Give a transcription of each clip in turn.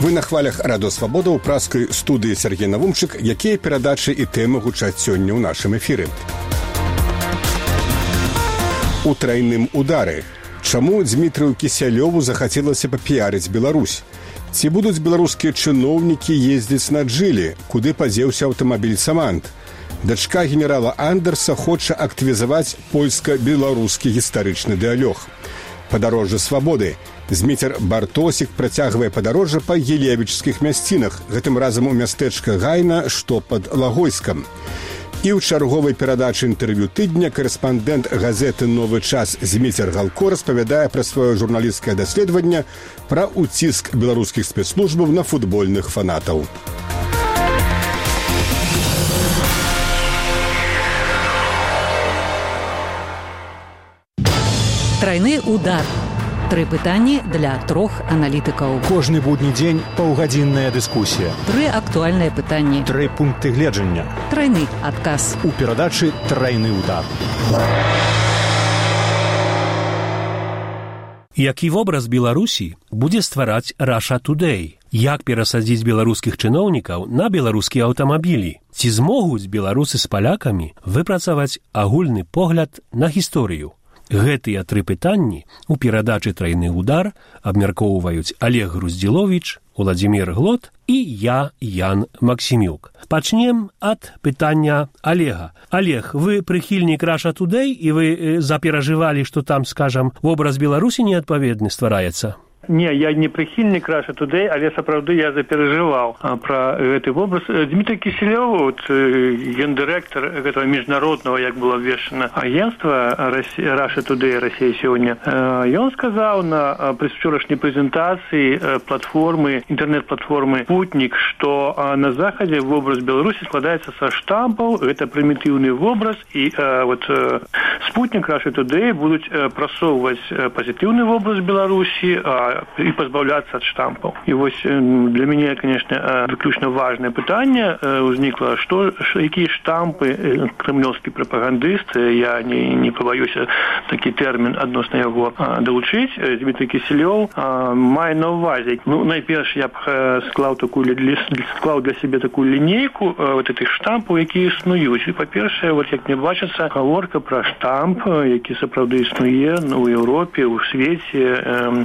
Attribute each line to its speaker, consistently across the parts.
Speaker 1: Вы на хвалях Радио Свабода ў праскай студыі Сергей Навумчык, якія перадачы і тэмы гучаць сёння ў нашым эфіры. У трайным удары. Чаму Дмітрыю Кісялёву захацелася папіярыць Беларусь? Ці будуць беларускія чыноўнікі ездзіць на джылі, куды падзеўся аўтамабіль «Самант»? Дачка генерала Андерса хоча актывізаваць польска-беларускі гістарычны дыалог. Падарожжа свабоды. Зміцер Бартосік працягвае падарожжа па елевічскіх мясцінах, гэтым разам у мястэчка Гайна, што пад Лагойскам. І ў чарговай перадачы інтэрв'ю тыдня корэспандэнт газеты «Новы час» Зміцер Галко распавядае пра сваё журналісцкае даследаванне пра ўціск беларускіх спецслужбаў на футбольных фанатаў.
Speaker 2: Трайны удар. 3 пытанні для 3 аналітыкаў.
Speaker 3: Кожны будні дзень паўгадзінная дыскусія.
Speaker 2: 3 актуальныя пытанні.
Speaker 3: 3 пункты гледжання.
Speaker 2: Трайны адказ.
Speaker 3: У перадачы «Трайны удар».
Speaker 4: Які вобраз Беларусі будзе ствараць Russia Today? Як перасадзіць беларускіх чыноўнікаў на беларускія аўтамабілі? Ці змогуць беларусы з палякамі выпрацаваць агульны погляд на гісторыю? Гэтыя 3 пытанні у перадачы «Трайны удар» абмяркоўваюць Олег Груздзіловіч, Уладзімір Глот і я, Ян Максімюк. Пачнем ад пытання Олега. Олег, вы прыхільнік Russia Today, і вы заперажывалі, што там, скажам, вобраз Беларусі неадпаведны ствараецца?
Speaker 5: Не, я не прыхільнік Russia Today, але сапраўды я заперажываў пра гэты вобраз. Дмітрий Кісялёў, гендырэктар гэтага міжнароднага, як было абвешчана, агентства Russia Today, Россия сегодня, ён сказаў на прычорашняй прэзентацыі платформы, інтэрнэт-платформы «Спутник», што на Захадзе вобраз Беларусі складаецца са штампаў, гэта прымітыўны вобраз, і «Спутник», Russia Today будуць прасоўваць пазітыўны вобраз Беларусі, и позбавляться от штампов. И вот для меня, конечно, выключно важное питание возникло, какие штампы кремлевский пропагандист, я не побоюсь такий термин относно его долучить, Дмитрий Кисельов, має на увазі. Ну, найперш я б склав для себе таку лінійку вот этих штампів, які існують. І, по-перше, вот як мені бачиться, говорка про штамп, який справді існує у Європі, у світі,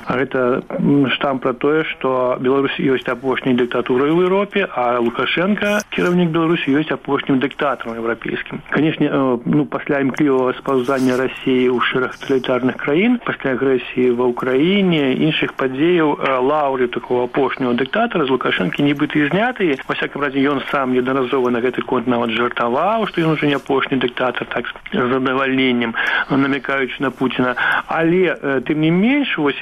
Speaker 5: это штамп про тое, што Беларусь ёсць апошняй дыктатурай у Еўропе, а Лукашенко, кіраўнік Беларусі, ёсць апошнім дыктатарам еўрапейскім. Конечно, пасля імклівага спаўзання Расіі ў шэраг таталітарных краін, пасля агрэсіі ва Ўкраіне, іншых падзеяў, лаўры такого апошняга дыктатара з Лукашэнкі нібыта і зняты. Во всяком разе, ён сам неаднаразова на гэты конт нават жартаваў, што ён ужо не апошні дыктатар, так з задавальненнем, намякаючы на Пуціна. Але, тым не менш, вось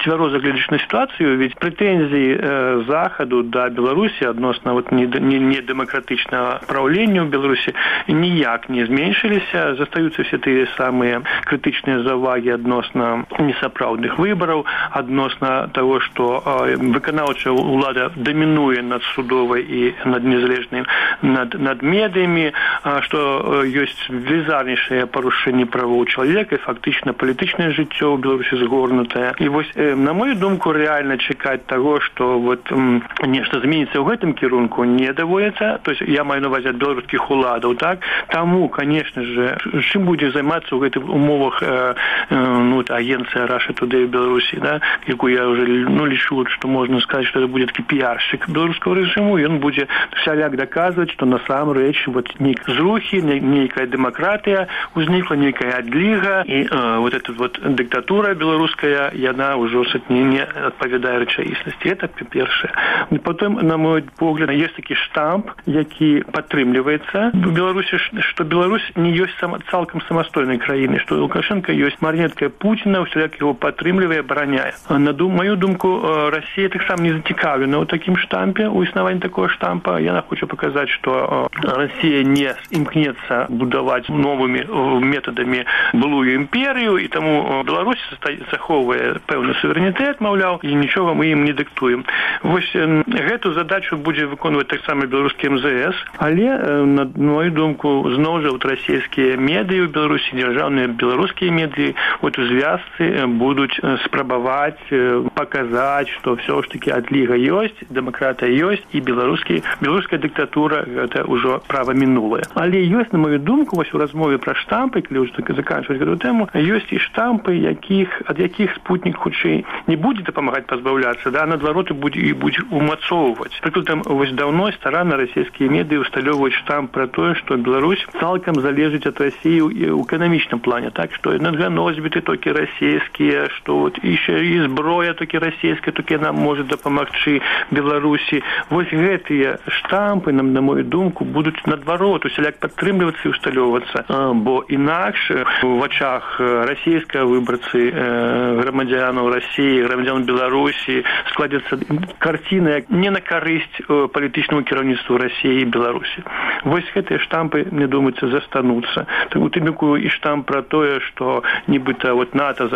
Speaker 5: цвяроза глядзячы на ситуацию, ведь претензии Заходу до Беларуси относно вот недемократичного правления в Беларуси ніяк не зменшились, застаются все те самые критичные заваги относно несапраўдных выборов, относно того, что выканаўчая улада доминует над судовой и над незалежным, над медыями, что есть велізарнейшее порушение правоў человека и фактично политичное жыццё в Беларуси згорнутое. И вот, на мою думку, реально чекать того, что вот нешта зменится в этом кірунку, не доводится. То есть я маю на увазі белорусских уладов, так? Тому, конечно же, чим буде займатися в этих умовах агенция Russia Today в Беларуси, да, яку я уже лечу, что можно сказать, что это будет такой пиарщик белорусского режиму, и он будет всяляк доказывать, что на самом речь вот нейкая зрухи, нейкая демократия возникла, нейкая адлига, и вот эта вот диктатура белорусская, и она уже не отповідає речаїсності. Це перше. І потім, на мой погляд, є такий штамп, який підтримується в Білорусі, що Білорусь не є цілком самостійною країною, що Лукашенко є маріонеткою Путіна, всіляк його підтримує, обороняє. На мою думку, Росія так само не зацікавлена у таким штампі, у існуванні такого штампа. Я хочу показати, що Росія не імкнеться будувати новими методами былую імперію, і тому Білорусь заховує певний суверенітет, суверэнітэт, маўляў, і нічога мы ім не дыктуем. Вось гэту задачу будзе выконваць таксама беларускі МЗС, але, на мою думку, зноў жа расійскія медыі ў Беларусі, дзяржаўныя беларускія медыі у звязцы будуць спрабаваць паказаць, што ўсё ж такі адліга ёсць, дэмакратыя ёсць, і беларуская дыктатура гэта ўжо права мінулае. Але ёсць, на мою думку, вось у размове пра штампы, калі ўжо заканчваць гэту тэму, ёсць і штампы, ад якіх спутнік хутчэй не будзе дапамагаць пазбаўляцца, да, наадварот, і будзе умацоўваць. Прыкладам, вось даўно старанна расійскія медыі усталёўваюць штамп пра тое, што Беларусь цалкам залежыць ад Расіі ў эканамічным плане, так, што энерганосьбіты толькі расійскія, што вот і зброя толькі расійская, толькі нам можа дапамагчы Беларусі. Вось гэтыя штампы, на мою думку, будуць наадварот усяляк падтрымлівацца і усталёўвацца, бо інакш у вачах расійскага выбарцы, грамадзянаў Расіі, грамадзян Беларусі складзецца карціна не на карысць палітычнаму кіраўніцтву Расіі і Беларусі. Вось гэтыя штампы, мне думаецца, застануцца. У тым ліку і штамп пра тое, што нібыта вот НАТО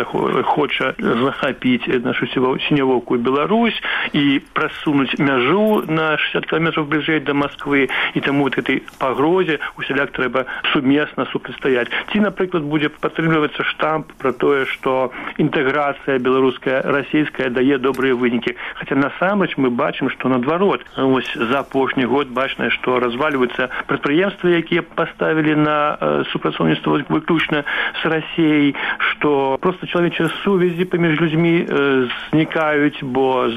Speaker 5: хоча захапіць нашу сінявокую Беларусь і прасунуць мяжу на 60 кілометраў бліжэй да Масквы, і таму вот этой пагрозе усяляк трэба сумесна супрацьстаяць. Ці, напрыклад, будзе падтрымлівацца штамп пра тое, што інтэграцыя беларуская, расійская дае добрыя вынікі. Хаця насамрэч мы бачым, што наадварот, вось за апошні год бачна, што развальваюцца прадпрыемствы, якія паставілі на супрацоўніцтва выключна з Расіяй, што проста чалавечыя сувязі паміж людзьмі знікаюць, бо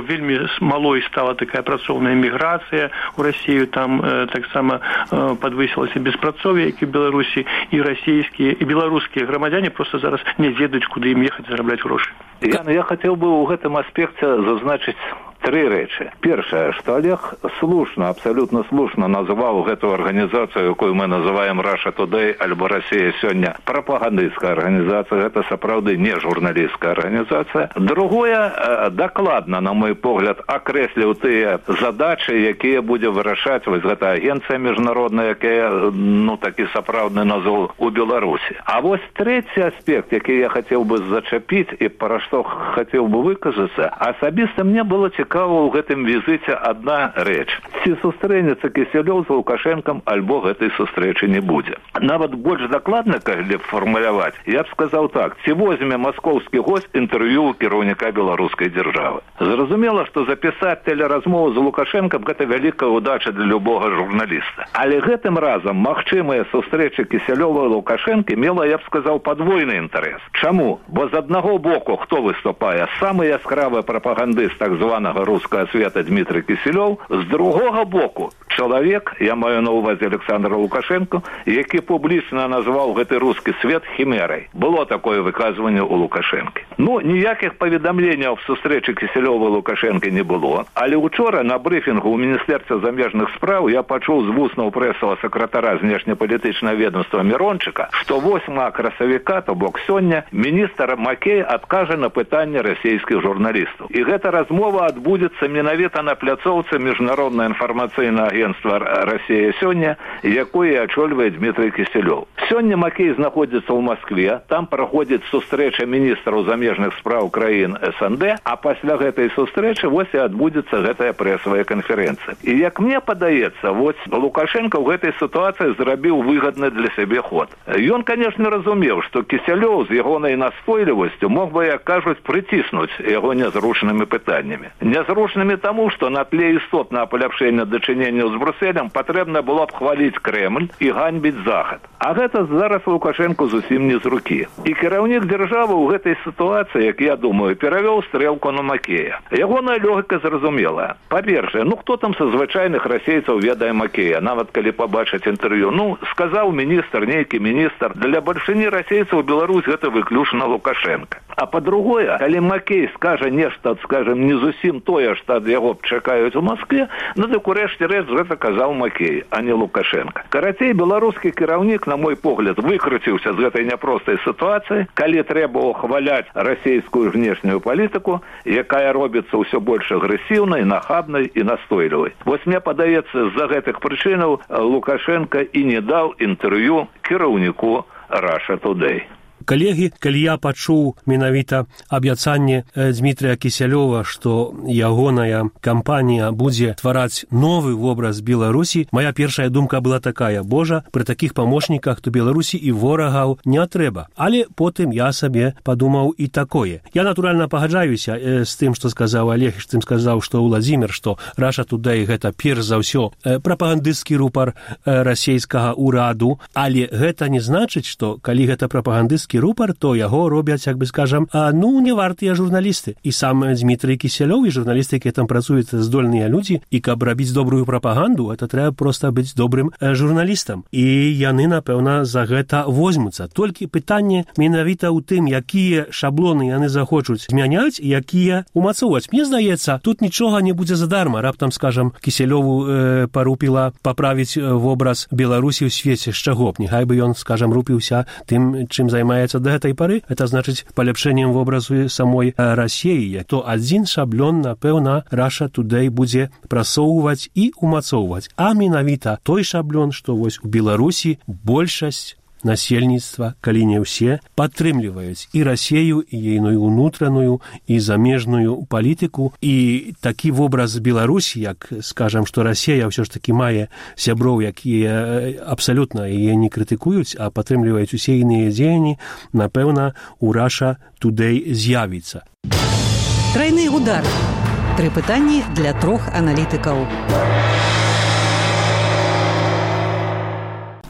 Speaker 5: вельмі малой стала такая працоўная міграцыя ў Расію, там таксама падвысілася беспрацоўе, як і в Беларусі, і расійскія, і беларускія грамадзяне проста зараз не ведаюць, куды ім ехаць зарабляць грошы.
Speaker 6: Ян, я хацеў бы ў гэтым аспекце зазначыць три рэчы. Першае, што Олег слушна, абсалютна слушна назваў гэту арганізацыю, якую мы называем Russia Today альбо Россия сёння, прапагандысцкая арганізацыя, гэта сапраўды не журналісцкая арганізацыя. Другое, дакладна, на мой погляд, акрэсліў тыя задачы, якія будзе вырашаць вось гэта агенцыя міжнародная, якая, такі сапраўдны назваў у Беларусі. А вось трэці аспект, які я хацеў бы зачапіць і пра што хацеў бы выказацца, асабіста мне было цікава ў гэтым візіце адна рэч. Ці сустрэнецца Кісялёў з Лукашэнкам, альбо гэтай сустрэчы не будзе. Нават больш дакладна, калі фармуляваць, я б сказаў так: ці возьме маскоўскі госць інтэрв'ю ў кіраўніка беларускай дзяржавы. Зразумела, што запісаць тэлеразмову з Лукашэнкам – гэта вялікая ўдача для любога журналіста. Але гэтым разам магчымыя сустрэчы Кісялёва і Лукашэнкі мела, я б сказаў, падвойны інтарэс. Чаму? Бо з аднаго боку хто выступае? Самы яскравы прапагандыст так званага рускага света Дмітрый Кісялёў, з другога боку чалавек, я маю на ўвазе Александра Лукашенко, які публічна назваў гэты рускі свет хімерай. Было такое выказванне ў Лукашэнкі. Ніякіх паведамленняў в сустрэчы Кісялёва і Лукашэнкі не было. Але учора на брыфінгу ў Міністэрстве замежных спраў я пачуў з вуснаў прэсавага сакратара знешнепалітычнага ведомства Мирончыка, што 8 красавіка, то бок сёння, міністр Макей адкажа на пытанне расійскіх журналістаў. І гэта размова адбудзецца менавіта на пляцоўцы міжнароднае інфармацыйнае агентства «Россия сёння», якое ачольвае Дмітрый Кісялёў. Сёння Макей знаходзіцца ў Маскве, там праходзіць сустрэча міністраў замежных спраў краін СНД, а пасля гэтай сустрэчы вось і адбудзецца гэтая прэсавая канферэнцыя. І як мне падаецца, вось Лукашенко ў гэтай сітуацыі зрабіў выгадны для сябе ход. Ён, конечно, разумеў, што Кісялёў з ягонай настойлівасцю мог бы, як кажуць, прыціснуць яго нязручнымі пытаннямі. Нязручнымі таму, што на тле істотнага паляпшэння дачынення з Брюсселем патрэбна было б хваліць Кремль і ганьбіць Захад. А гэта зараз Лукашенко зусім не з рукі. І кіраўнік дзяржавы ў гэтай сітуацыі, як я думаю, перавёў стрэлку на Макея. Ягоная логіка зразумелая. Па-першае, хто там са звычайных расейцаў ведае Макея, нават калі пабачыць інтэрв'ю. Сказаў міністр, нейкі міністр, для бальшыні расейцаў Беларусь гэта выключна Лукашенко. А па-другое, калі Макей скажа нешта, скажем, не зусім тое, што ад яго чакаюць у Маскве, дык урэшце рэч гэта казаў Макей, а не Лукашенко. Карацей, беларускі кіраўнік, на мой погляд, выкруціўся з гэтай няпростай сітуацыі, калі трэба ухваляць расійскую знешнюю палітыку, якая робіцца ўсё больш агрэсіўнай, нахабнай і настойлівай. Вось мне падаецца, з-за гэтых прычынаў Лукашенко і не даў інтэрв'ю кіраўніку Russia Today.
Speaker 4: Калегі, калі я пачуў менавіта абяцанне Дмітрия Кісялёва, што ягоная кампанія будзе ствараць новы вобраз Беларусі, моя першая думка была такая: Божа, пры такіх памочніках то Беларусі і ворагаў не трэба. Але потым я сабе падумаў і такое. Я, натуральна, пагаджаюся з тым, што сказаў Олег, з тым сказаў, што Владзімір, што Russia Today гэта перш за ўсё прапагандысцкі рупар расійскага ўраду, але гэта не значыць, што калі гэта прапагандысцкі рупар, то яго робяць, як бы скажам, не вартыя журналісты. І сам Дмітрий Кісялёў і журналісты, якія там працуюць, здольныя людзі, і каб рабіць добрую прапаганду, это трэба проста быць добрым журналістам. І яны, напэўна, за гэта возьмуцца. Толькі пытанне менавіта ў тым, якія шаблоны яны захочуць змяняць, якія умацоўваць. Мне здаецца, тут нічога не будзе задарма. Раптам, скажам, Кісялёву парупіла паправіць вобраз Беларусі ў свеце, з чаго б. Няхай бы ён, скажам, рупіўся тым, чым займаецца да гэтай пары. Это значыць паляпшэннем вобразу самой Расіі. То адзін шаблон, напэўна, Russia Today будзе прасоўваць і умацоўваць. А менавіта той шаблон, што вось у Беларусі большасць насельніцтва, калі не ўсе, падтрымліваюць і Расію, і ейную ўнутраную, і замежную палітыку. І такі вобраз Беларусі, як, скажам, што Расія ўсё ж такі мае сяброў, якія абсалютна яе не крытыкуюць, а падтрымліваюць усе іныя дзеянні, напэўна, у Russia Today з'явіцца.
Speaker 2: Трайны удар. 3 пытанні для 3 аналітыкаў.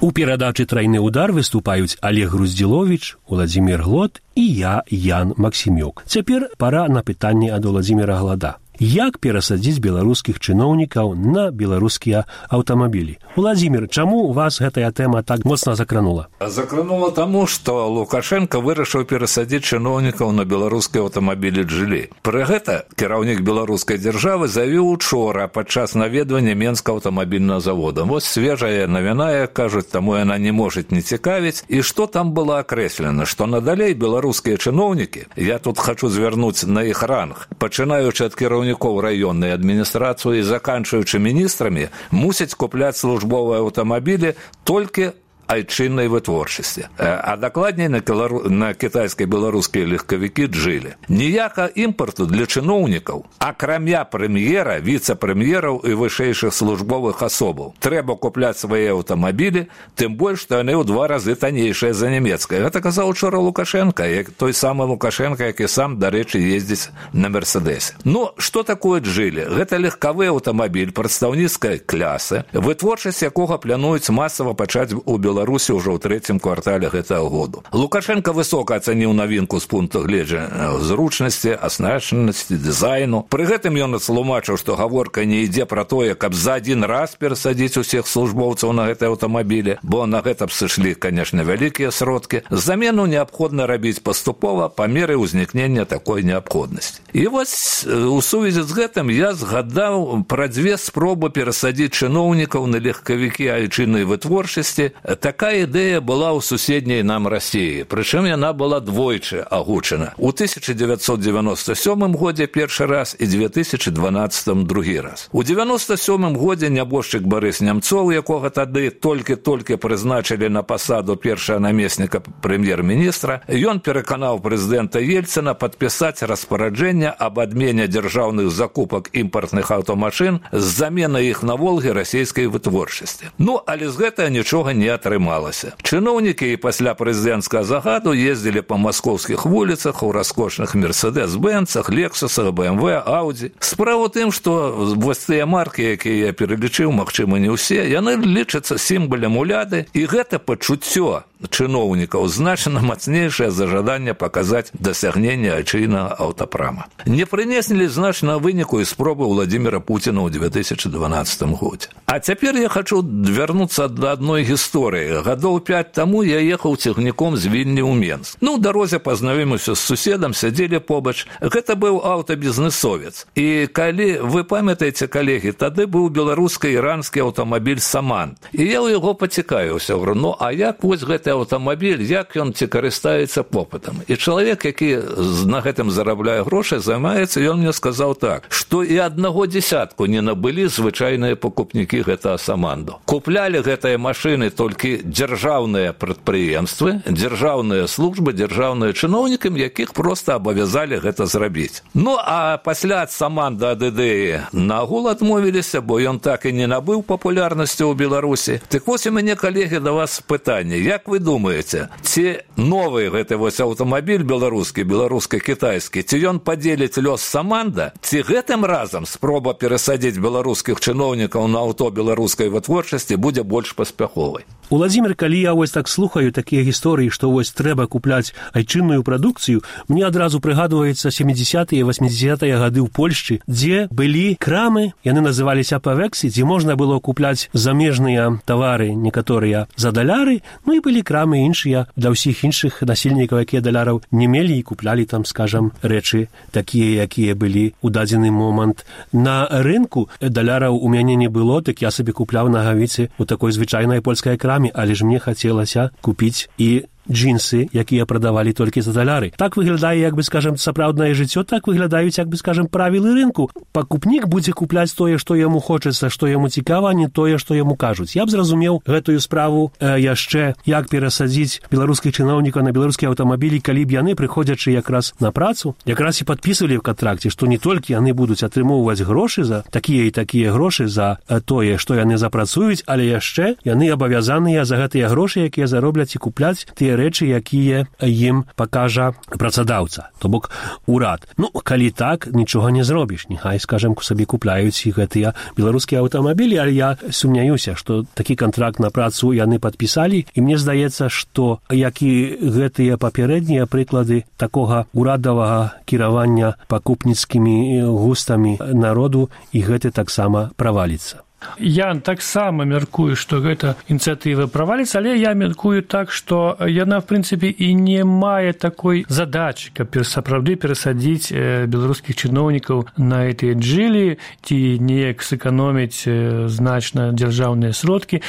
Speaker 4: У перадачы «Трайны удар» выступаюць Олег Груздзіловіч, Владзімір Глод і я, Ян Максімюк. Цяпер пара на пытанне ад Владзіміра Глада. Як перасадзіць беларускіх чыноўнікаў на беларускія аўтамабілі? Владзімір, чаму вас гэтая тэма так моцна закранула?
Speaker 6: Закранула таму, што Лукашенко вырашыў перасадзіць чыноўнікаў на беларускія аўтамабілі «Джылі». Пры гэта кіраўнік беларускай дзяржавы заявіў учора падчас наведвання Менскага аўтамабільнага завода. Вось свежая навіна, як кажуць, таму яна не можа не цікавіць. І што там было акрэслена? Што надалей беларускія чыноўнікі, я тут хачу звярнуць на іх ранг, пачынаючы ад кіраўнікоў раённай адміністрацыі і заканчваючы міністрамі, мусяць купляць службовыя аўтамабілі толькі айчыннай вытворчасці, а дакладней на кітайскай беларускія легкавікі «Джылі». Ніяка імпарту для чыноўнікаў, акрамя прэм'ера, віцэ-прэм'ераў і вышэйшых службовых асобаў. Трэба купляць свае аўтамабілі, тым больш, што яны ў 2 разы таннейшыя за нямецкае. Гэта казаў учора Лукашенко, той самы Лукашенко, які сам, дарэчы, ездзіць на «Мерседесе». Ну, што такое «Джылі»? Гэта легкавы аўтамабіль прадстаўніцкай клясы, вытворчасць якога плануюць масава пачаць у Беларусі ўжо ў 3-м квартале гэтага году. Лукашенко высока ацаніў навінку з пункту гледжання зручнасці, аснашчанасці, дызайну. Пры гэтым ён тлумачыў, што гаворка не ідзе пра тое, каб за адзін раз перасадзіць усіх службоўцаў на гэтыя аўтамабілі, бо на гэта б сышлі, канешне, вялікія сродкі. Замену неабходна рабіць паступова па меры ўзнікнення такой неабходнасці. І вось у сувязі з гэтым я згадаў пра 2 спробы перасадзіць чыноўнікаў на легкавікі айчыннай вытворчасці. Такая ідэя была ў суседняй нам Расіі, прычым яна была двойчы агучана. У 1997 годзе першы раз і 2012 другі раз. У 1997 годзе нябожчык Барыс Нямцоў, якога тады толькі прызначылі на пасаду першага намесніка прэм'ер-міністра, ён пераканаў прэзідэнта Ельцына падпісаць распараджэнне аб адмене дзяржаўных закупак імпартных аўтамашын з заменай іх на «Волгі» расійскай вытворчасці. Ну, але з гэтага нічога не атрымалася. Чыноўнікі і пасля прэзідэнцкага загаду ездзілі па маскоўскіх вуліцах у раскошных «Мерседес-бэнцах», «Лексусах», «БМВ», «Ауді». Справа ў тым, што вось тыя маркі, якія я пералічыў, магчыма, не ўсе, яны лічацца сімвалем уляды, і гэта пачуццё чыноўнікаў значна мацнейшае за жаданне паказаць дасягненне айчыннага аўтапрама. Не прынеслі значнага выніку і спробы Владзіміра Пуціна ў 2012 годзе. А цяпер я хачу вярнуцца да адной гісторыі. Гадоў 5 таму я ехаў цягніком з Вільні ў Менск. Ну, ў дарозе пазнаёміўся з суседам, сядзелі побач. Гэта быў аўтабізнесовец. І калі вы памятаеце, калегі, тады быў беларуска-іранскі аўтамабіль «Саман». І я ў яго пацікавіўся, говорю, ну, а як вось гэты аўтамабіль, як ён ці карыстаецца попытам. І чалавек, які на гэтым зарабляе грошы, займаецца, ён мне сказаў так, што і аднаго дзесятку не набылі звычайныя пакупнікі гэтага саманду. Куплялі гэтыя машыны толькі дзяржаўныя прадпрыемствы, дзяржаўныя службы, дзяржаўныя чыноўнікам, якіх проста абавязалі гэта зрабіць. Ну, а пасля саманда ад ідэі нагул адмовіліся, бо ён так і не набыў папулярнасці ў Беларусі. Так вось у мяне, калегі, да вас пытанне. Як вы думаеце, ці новы гэты вось аўтамабіль беларускі, беларуска-кітайскі, ці ён падзеліць лёс саманда, ці гэтым разам спроба перасадзіць беларускіх чыноўнікаў на аўто беларускай вытворчасці будзе больш паспяховай?
Speaker 4: Уладзімир, калі я вось так слухаю такія гісторыі, што вось трэба купляць айчынную прадукцыю, мне адразу прыгадваецца 70-е, 80-е гады ў Польшчы, дзе былі крамы, яны называліся павексі, дзе можна было купляць замежныя тавары, некаторыя за даляры, ну і былі крамы іншыя для ўсіх іншых насельнікаў, якія даляраў не мелі і куплялі там, скажам, рэчы такія, якія былі ў дадзены момант. На рынку даляраў у мяне не было, так я сабе купляў нагавіцы у такой звычайнай польскай краме, але ж мне хацелася купіць і джинсы, якія прадавалі толькі за даляры. Так выглядае, як бы, скажем, сапраўднае жыццё, так выглядаюць, як бы, скажем, правілы рынку. Пакупнік будзе купляць тое, што яму хочацца, што яму цікава, а не тое, што яму кажуць. Я б зразумеў гэтую справу яшчэ, як перасадзіць беларускіх чыноўнікаў на беларускія аўтамабілі, калі б яны, прыходзячы якраз на працу, якраз і падпісвалі ў кантракце, што не толькі яны будуць атрымоўваць грошы за такія і такія грошы за тое, што яны запрацуюць, але яшчэ яны абавязаныя за гэтыя грошы, якія заробляць і купляць тыя рэчы, якія ім пакажа працадаўца, то бок урад. Ну, калі так, нічога не зробіш. Няхай, скажем, сабе купляюць і гэтыя беларускія аўтамабілі, але я сумняюся, што такі кантракт на працу яны падпісалі, і мне здаецца, што як і гэтыя папярэднія прыклады такога урадавага кіравання пакупніцкімі густамі народу, і гэты таксама праваліцца.
Speaker 5: Я таксама мяркую, што гэта ініцыятыва праваліцца, але я мяркую так, што яна, в прынцыпе, і не мае такой задачы, каб сапраўды перасадзіць беларускіх чыноўнікаў на гэтыя джылі ці неяк сэканоміць значна дзяржаўныя сродкі.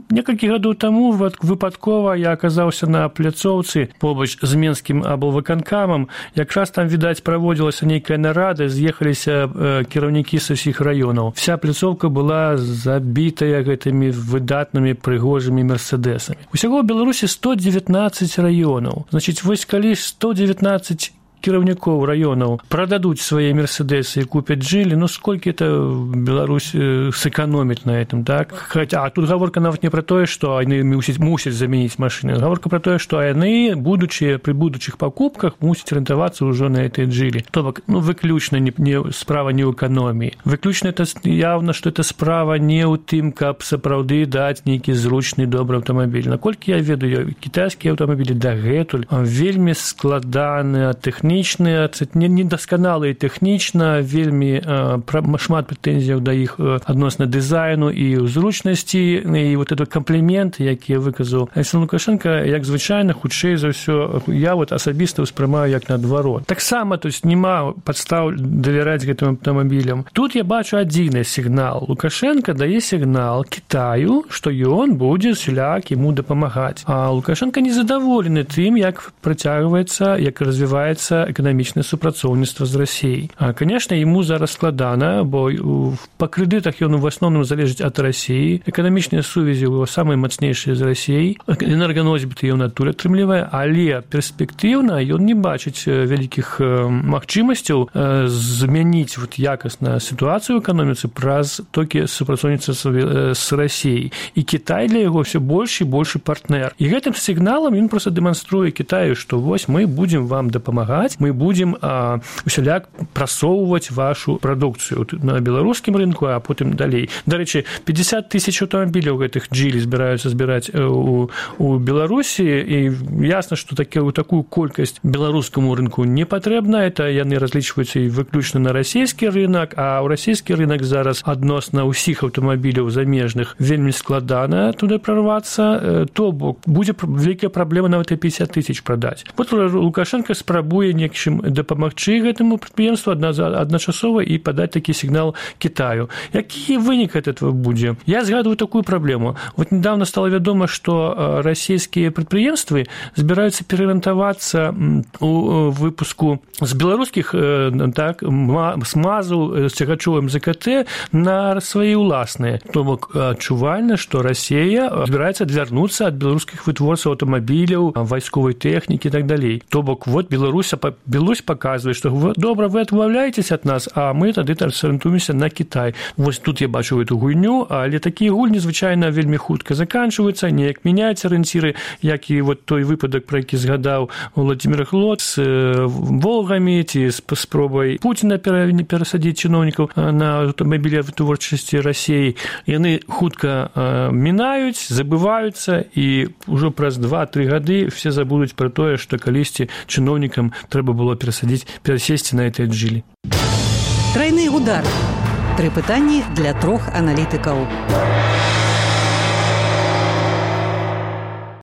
Speaker 5: Некалькі гадоў таму выпадкова я аказаўся на пляцоўцы побач з менскім аблвыканкамам. Якраз там, відаць, праводзілася нейкая нарада, з'ехаліся кіраўнікі з усіх раёнаў. Вся пляцоўка была забітая гэтымі выдатнымі прыгожымі мерседесамі. Усяго ў Беларусі 119 раёнаў. Значыць, вось калі 119 кіраўнікоў раёнаў прададуць свае мерседесы і купяць жылі, ну сколькі это Беларусь сэканоміць на этом, так? Хаця, а тут гаворка нават не пра тое, што яны мусяць замяніць машыны. Гаворка пра тое, што яны, пры будучых пакупках, мусяць арыентавацца ўжо на гэтыя жылі. То бок, ну, выключна справа не ў эканоміі. Выключна это явна, што это справа не ў тым, каб сапраўды даць нейкі зручны добры аўтамабіль. Наколькі я ведаю, кітайскія аўтамабілі дагэтуль вельмі складаныя, недасканалыя тэхнічна, вельмі шмат прэтэнзіяў да іх адносна дызайну і зручнасці, і вот этот камплімент, які выказаў Александр Лукашенко, як звычайна, хутчэй за ўсё, я вот асабіста ўспрымаю як наадварот. Таксама, то есть, няма падстаў давяраць гэтым аўтамабілям. Тут я бачу адзіны сігнал. Лукашенко дае сігнал Кітаю, што ён будзе усяляк яму дапамагаць. А Лукашенко незадаволены тым, як працягваецца, як развіваецца эканамічнае супрацоўніцтва з Расіяй. Конечно, ему зараз складана, бо па крэдытах ён в асноўным залежыць ад Расіі. Эканамічныя сувязі ў самыя мацнейшыя з Расіяй. Энерганосьбіты ён адтуль атрымлівае, але перспектыўна ён не бачыць вялікіх магчымасцяў змяніць якасна сітуацыю ў эканоміцы праз толькі супрацоўніцтва з Расіяй. І Кітай для яго ўсё больш і больш партнер. І гэтым сігналам ён проста дэманструе Кітаю, што вось мы будзем вам дапамагаць, мы будзем усяляк прасоўваць вашу прадукцыю на беларускім рынку, а потым далей. Дарэчы, 50 тысяч аўтамабіляў гэтых джілі збіраюцца збіраць у Беларусі, і ясна, што такую колькасць беларускаму рынку не патрэбна. Это яны разлічваюцца і выключна на расійскі рынак, а ў расійскі рынак зараз адносна ўсіх аўтамабіляў замежных вельмі складана туды прарвацца, то бок будзе вялікая праблема нават і 50 тысяч прадаць. Вот Лукашенко спрабуе нечым дапамагчы гэтаму прадпрыемству адначасова і падаць такі сігнал Китаю. Які вынік этого будзе? Я згадываю такую праблему. Вот недавно стало вядома, што расійскія прадпрыемствы збіраюцца пераарыентавацца у выпуску з беларускіх смазаў з цягачовым ЗКТ на свае ўласныя. То бок адчувальна, што Расія збіраецца адвярнуцца ад беларускіх вытворцаў аўтамабіляў, вайсковай тэхнікі і так далей. То бок вот Беларусь паказвае, што добра, вы адмаўляецеся ад нас, а мы тады арыентуемся на Кітай. Вось тут я бачу эту гульню, але такія гульні звычайна вельмі хутка заканчваюцца, неяк мяняюцца арыенціры, як і вот той выпадак, про які згадаў Владимир Глот з Волгамі ці з спробай Пуціна перасадзіць чыноўнікаў на аўтамабілі вытворчасці Расіі. Яны хутка мінаюць, забываюцца, і ўжо праз 2-3 гады все забудуць пра тое, што калісьці чыноўнікам трэба было перасесці на этой аджилі.
Speaker 2: Тройны удар. 3 пытанні для 3 аналітыкаў.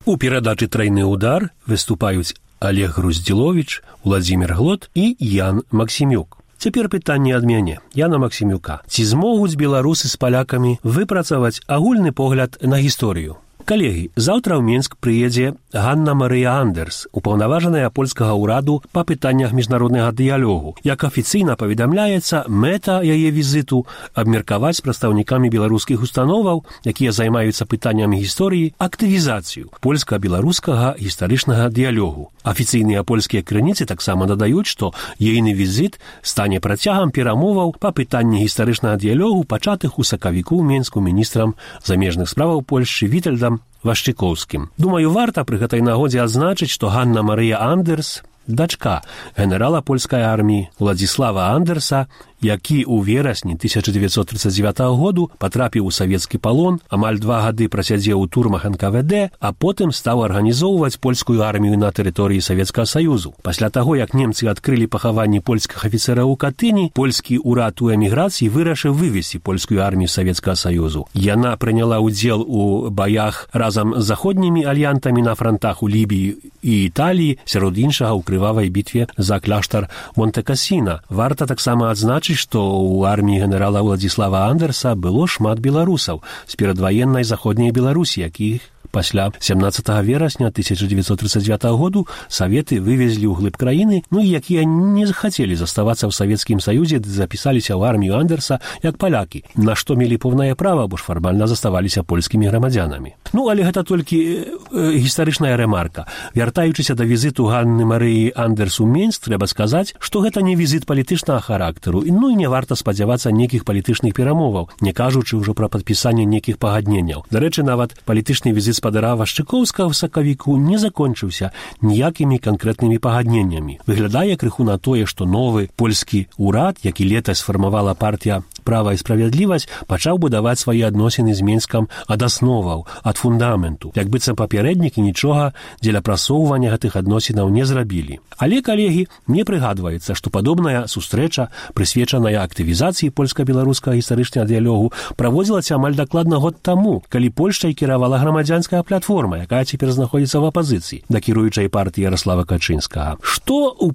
Speaker 4: У перадачы «Тройны удар» выступаюць Олег Груздзіловіч, Владимир Глот і Ян Максімюк. Цяпер пытанне ад мяне, Яна Максімюка. Ці змогуць беларусы з палякамі выпрацаваць агульны погляд на гісторыю? Калегі, заўтра ў Мінск прыедзе Ганна Марыя Андерс, упаўнаважаная польскага ўраду па пытаннях міжнароднага дыялогу. Як афіцыйна паведамляецца, мэта яе візіту абмеркаваць з прадстаўнікамі беларускіх установаў, якія займаюцца пытаннямі гісторыі, актывізацыю польска-беларускага гістарычнага дыялогу. Афіцыйныя польскія крыніцы таксама дадаюць, што ейны візіт стане працягам перамоваў па пытанні гістарычнага дыялогу, пачатых у сакавіку ў Мінску міністрам замежных справаў Польшчы Вітальдам Вашчыкоўскім. Думаю, варта пры гэтай нагодзе адзначыць, што Ганна Марыя Андерс, дачка генерала польскай арміі Уладзіслава Андерса, які ў верасні 1939 году патрапіў у савецкі палон, амаль 2 гады прасядзеў у турмах НКВД, а потым стаў арганізоўваць польскую армію на тэрыторыі Савецкага Саюзу. Пасля таго, як немцы адкрылі пахаванні польскіх афіцэраў у Катыні, польскі ўрад у эміграцыі вырашыў вывесці польскую армію з Савецкага Саюзу. Яна прыняла ўдзел у баях разам з заходнімі альянтамі на франтах у Лібіі і Італіі, сярод іншага ў крывавай бітве за кляштар Монте-Кассіна. Варта таксама адзначыць, што ў арміі генерала Уладзіслава Андерса было шмат беларусаў з перадваеннай заходняй Беларусі, якіх пасля 17 верасня 1939 году Саветы вывезлі ў глыб краіны, і якія не захацелі заставацца ў Савецкім Саюзе, запісаліся ў армію Андерса як палякі, на што мелі поўнае права, бо ж фармальна заставаліся польскімі грамадзянамі. Але гэта толькі гістарычная рэмарка. Вяртаючыся да візіту Ганны Марыі Андерс у Мінск, трэба сказаць, што гэта не візіт палітычнага характару, і не варта спадзявацца нейкіх палітычных перамоваў, не кажучы ўжо пра падпісанне нейкіх пагадненняў. Дарэчы, нават палітычны візіт спадара Вашчыкоўскага ў сакавіку не закончыўся ніякімі канкрэтнымі пагадненнямі. Выглядае крыху на тое, што новы польскі ўрад, які летась сфармавала партія «Права і справядлівасць», пачаў будаваць свае адносіны з Мінскам ад асноваў, ад фундаменту. Як быццам папярэднікі нічога дзеля прасоўвання гэтых адносінаў не зрабілі. Але, калегі, мне прыгадваецца, што падобная сустрэча, прысвечаная актывізацыі польска-беларускага гістарычнага дыялогу, праводзілася амаль дакладна год таму, калі Польшчай кіравала грамадзянская платформа, якая цяпер знаходзіцца ў апазіцыі да кіруючай партыі Ярослава Качынскага. Што у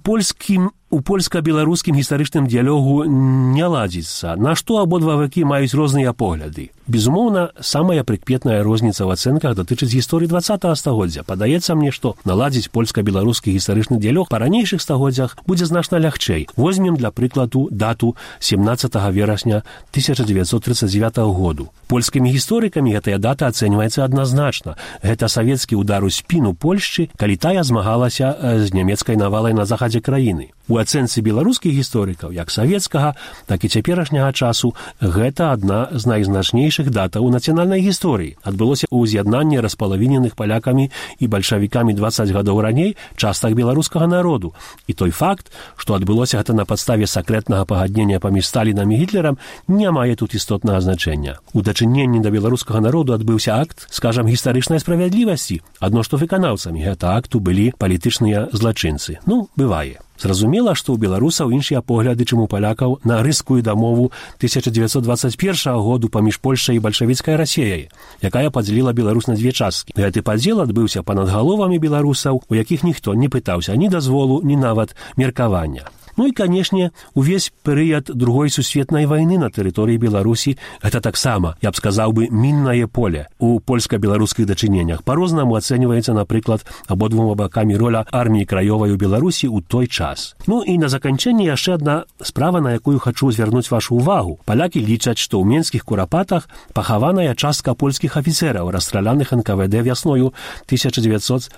Speaker 4: польска-беларускім гістарычным дыялогу не ладзіцца, на што абодва бакі маюць розныя погляды. Безумоўна, самая прыкметная розніца ў ацэнках датычыць гісторыі 20-го стагоддзя. Падаецца мне, што наладзіць польска-беларускі гістарычны дыялог па ранейшых стагоддзях будзе значна лягчэй. Возьмем для прыкладу дату 17 верасня 1939 году. Польскімі гісторыкамі гэтая дата ацэньваецца адназначна. Гэта савецкі удар у спіну Польшчы, калі тая змагалася з нямецкай навалай на захадзе краіны. У ацэнцы беларускіх гісторыкаў, як савецкага, так і цяперашняга часу, гэта адна з найзначнейшых датаў у нацыянальнай гісторыі. Адбылося ў з'яднанні распалавіненых палякамі і бальшавікамі 20 гадоў раней частак беларускага народу. І той факт, што адбылося гэта на падставе сакрэтнага пагаднення паміж Сталінам і Гітлерам, не мае тут істотнага значэння. У дачыненні да беларускага народу адбыўся акт, скажам, гістарычнай справядлівасці, адно што выканаўцамі гэта акту былі палітычныя злачынцы. Бывае. Зразумела, што ў беларусаў іншыя погляды, чым у палякаў на рыскую дамову 1921 году паміж Польшай і бальшавіцкай Расеяй, якая падзяліла Беларусь на две часткі. Гэты падзел адбыўся па-над галовамі беларусаў, у якіх ніхто не пытаўся ні дазволу, ні нават меркавання. Ну і, канешне, увесь перыяд Другой сусветнай вайны на тэрыторыі Беларусі гэта таксама, я б сказаў бы, міннае поле у польска-беларускіх дачыненнях. Па-рознаму ацэньваецца, напрыклад, абодвума бакамі роля арміі краёвай у Беларусі ў той час. Ну і на заканчэнне яшчэ адна справа, на якую хачу звярнуць вашу ўвагу. Палякі лічаць, што ў менскіх курапатах пахаваная частка польскіх афіцэраў, расстраляных НКВД вясною 1940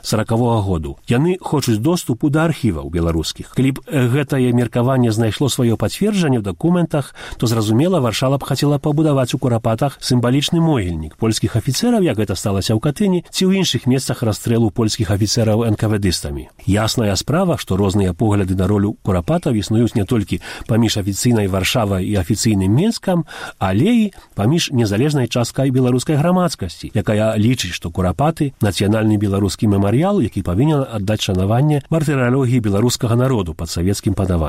Speaker 4: году. Яны хочуць доступу да архіваў беларускіх. Калі б гэтае меркаванне знайшло сваё пацверджанне ў дакументах, то, зразумела, Варшава б хацела пабудаваць у курапатах сімвалічны могільнік польскіх афіцэраў, як гэта сталася ў Катыні, ці ў іншых месцах расстрэлу польскіх афіцэраў НКВДыстамі. Ясная справа, што розныя погляды на ролю курапатаў існуюць не толькі паміж афіцыйнай Варшавай і афіцыйным Менскам, але і паміж незалежнай часткай беларускай грамадскасці, якая лічыць, што курапаты — нацыянальны беларускі мемарыял, які павінен аддаць шанаванне мартыралогіі беларускага народу пад савецкім панаваннем.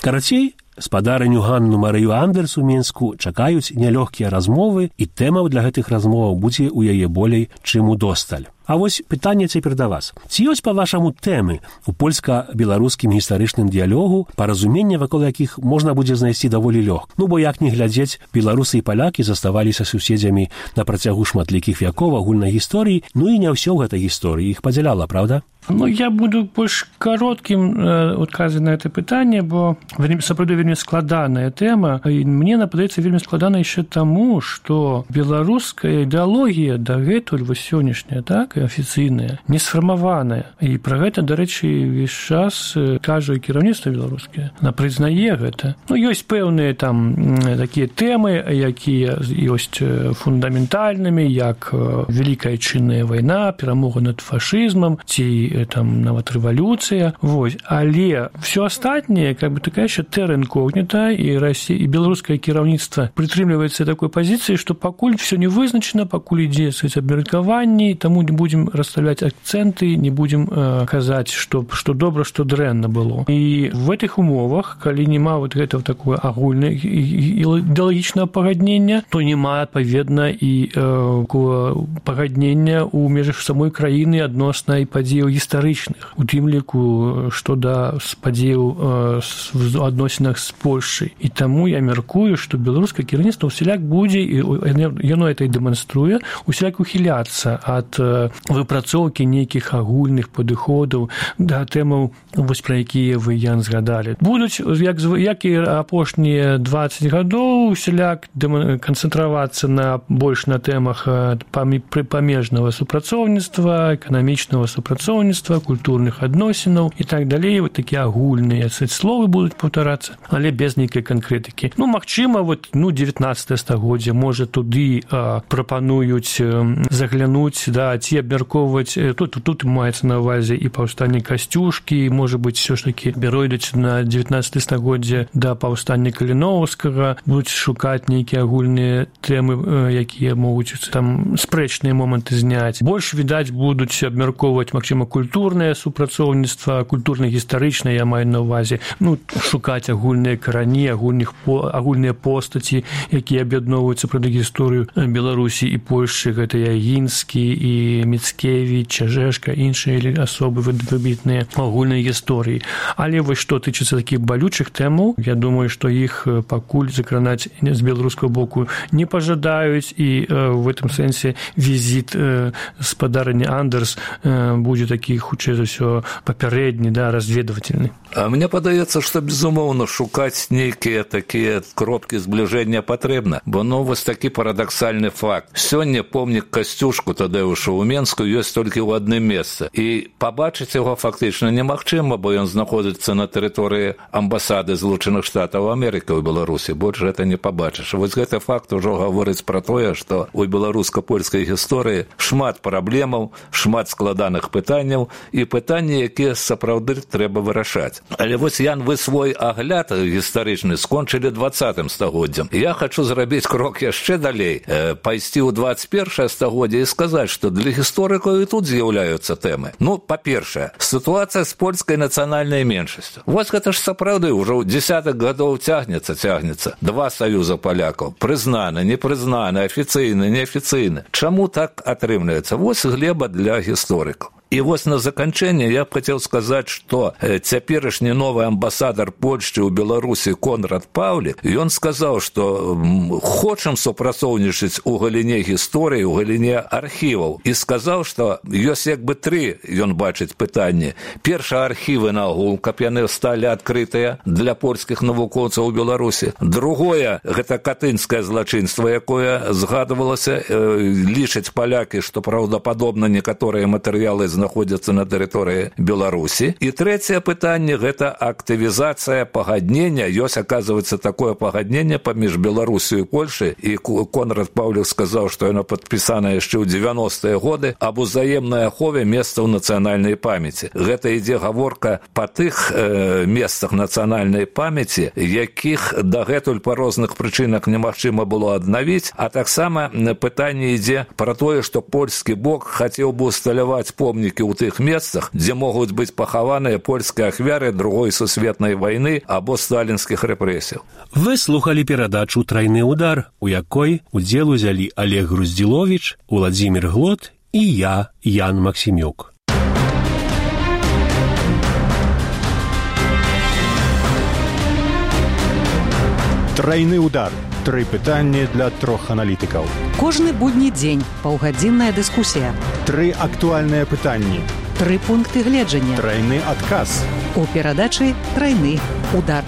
Speaker 4: Карацей, спадарыню Ганну Марыю Андерс у Менску чакаюць нялёгкія размовы, і тэмаў для гэтых размоваў будзе ў яе болей, чым удосталь. А вось пытанне цяпер да вас. Ці ёсць, па-вашаму, тэмы у польска-беларускім гістарычным дыялогу, паразуменне, вакол якіх можна будзе знайсці даволі лёгка? Ну, бо як не глядзець, беларусы і палякі заставаліся суседзямі на працягу шматлікіх вякоў агульнай гісторыі, ну і не ўсё ў гэтай гісторыі іх падзяляла, правда?
Speaker 5: Ну, я буду больш кароткім адказваць на гэта пытанне, бо сапраўды вельмі складаная тэма, і мне нападаецца вельмі складана яшчэ таму, што беларуская ідэалогія дагэтуль вось сённяшняя, так, і афіцыйная, не сфармаваная. І пра гэта, дарэчы, увесь час кажа кіраўніцтва беларускае. Яна прызнае гэта. Ну, ёсць пэўныя там такія тэмы, якія ёсць фундаментальнымі, як Вялікая Адчынная вайна, перамога над фашызмам, ці там нават рэвалюцыя, вось. Але все астатняе, как бы такая еще терра инкогнита, і Россия, і беларускае кіраўніцтва прытрымліваецца такой пазіцыі, што пакуль все не вызначана, пакуль ідзе абмеркаванне, таму не будем расставлять акценты, не будем казаць, што добра, што дрэнна было. І в этих умовах, калі няма вот гэтага такое агульнае ідэалагічнага пагаднення, то няма адпаведна і пагаднення ў межах самой краіны адносна і падзеяў гістарычных, у тым ліку, што да падзеяў в адносінах з Польшчай. І таму я мяркую, што беларускае кіраўніцтва усяляк будзе, і яно гэта і дэманструе, усяляк ухіляцца ад выпрацоўкі нейкіх агульных падыходаў да тэмаў, вось пра якія вы, Ян, згадалі. Будуць, як і апошнія 20 гадоў, усяляк канцэнтравацца больш на тэмах памежнага супрацоўніцтва, эканамічнага супрацоўніцтва, культурных адносінаў і так далей. Вот такія агульныя словы будуць паўтарацца, але без нейкай канкрэтыкі. Ну, магчыма, вот, 19 стагоддзя, можа, туды прапануюць заглянуць, да, ці абмяркоўваць, тут маецца на ўвазе і паўстанне Касцюшкі, можа быць, все ж таки перайдуць на 19 стагоддзя да паўстання Каліноўскага, будуць шукаць нейкія агульныя тэмы, якія могуць там спрэчныя моманты зняць. Больш, відаць, будуць абмяркоўваць, магчыма, культурнае супрацоўніцтва, культурна-гістарычнае, я маю на ўвазе, ну, шукаць агульныя карані, агульныя постаці, якія аб'ядноўваюцца пра гісторыю Беларусі і Польшчы, гэта Ягінскі і Міцкевіч, Чажэшка, іншыя асобы выбітныя агульнай гісторыі. Але вось што тычыцца такіх балючых тэмаў, я думаю, што іх пакуль закранаць з беларускага боку не пажадаюць, і в этом сэнсе візіт спадарыні Андерс будзе такі, хутчэй за ўсё, папярэдні, да, разведвательны.
Speaker 6: А мне падаецца, што, безумоўна, шукаць нейкія такія кропкі збліжэння патрэбна, бо, ну, вось такі парадаксальны факт. Сёння помнік Касцюшку Тадеуша ў Менску ёсць толькі ў адным месцы, і пабачыць яго фактычна немагчыма, бо ён знаходзіцца на тэрыторыі амбасады Злучаных Штатаў Амерыкі ў Беларусі. Больш гэта не пабачыш. Вось гэты факт ужо гаворыць пра тое, што ў беларуска-польскай гісторыі шмат праблемаў, шмат складаных пытанняў і пытанні, якія сапраўды трэба вырашаць. Але вось, Ян, вы свой агляд гістарычны скончылі 20 стагоддзям. Я хачу зрабіць крок яшчэ далей, пайсці ў 21 стагоддзе і сказаць, што для гісторыкаў і тут з'яўляюцца тэмы. Ну, па-першае, сітуацыя з польскай нацыянальнай меншасцю. Вось гэта ж сапраўды ўжо ў дзесятых гадоў цягнецца. Два саюза палякаў. Прызнаны, непрызнаны, афіцыйны, неафіцыйны. Чаму так атрымліваецца? Вось глеба для гісторыкаў. І вось на заканчэнне я б хацеў сказаць, што цяперашні новы амбасадар Польшчы ў Беларусі Конрад Паўлік, ён сказаў, што хочам супрацоўнічаць у галіне гісторыі, у галіне архіваў. І сказаў, што ёсць як бы тры, ён бачыць, пытанні. Першае, архівы нагул, каб яны сталі адкрытыя для польскіх навукоўцаў у Беларусі. Другое, гэта катынскае злачынства, якое згадывалася, лічаць палякі, што праўдападобна некаторыя матэрыялы знаходзяцца на тэрыторыі Беларусі. І трэцяе пытанне – гэта актывізацыя пагаднення. Ёсць, аказваецца, такое пагадненне паміж Беларусю і Польшай. І Конрад Паўлік сказаў, што яно падпісана яшчэ ў 90-е годы аб узаемнай ахове месцаў нацыянальнай памяці. Гэта ідзе гаворка па тых месцах нацыянальнай памяці, якіх дагэтуль па розных прычынах немагчыма было аднавіць, а таксама пытанне ідзе пра тое, што польскі бок хацеў бы усталяваць помнікі ў тых месцах, дзе могуць быць пахаваныя польскія ахвяры Другой сусветнай вайны або сталінскіх рэпрэсіяў.
Speaker 4: Вы слухалі перадачу «Трайны удар», у якой удзел узялі Олег Груздзіловіч, Уладзімір Глот і я, Ян Максімюк.
Speaker 3: Трайны удар. Тры пытанні для трох аналітыкаў.
Speaker 2: Кожны будні дзень паўгадзінная дыскусія.
Speaker 3: Тры актуальныя пытанні.
Speaker 2: Тры пункты гледжання.
Speaker 3: Трайны адказ.
Speaker 2: У перадачы «Трайны удар».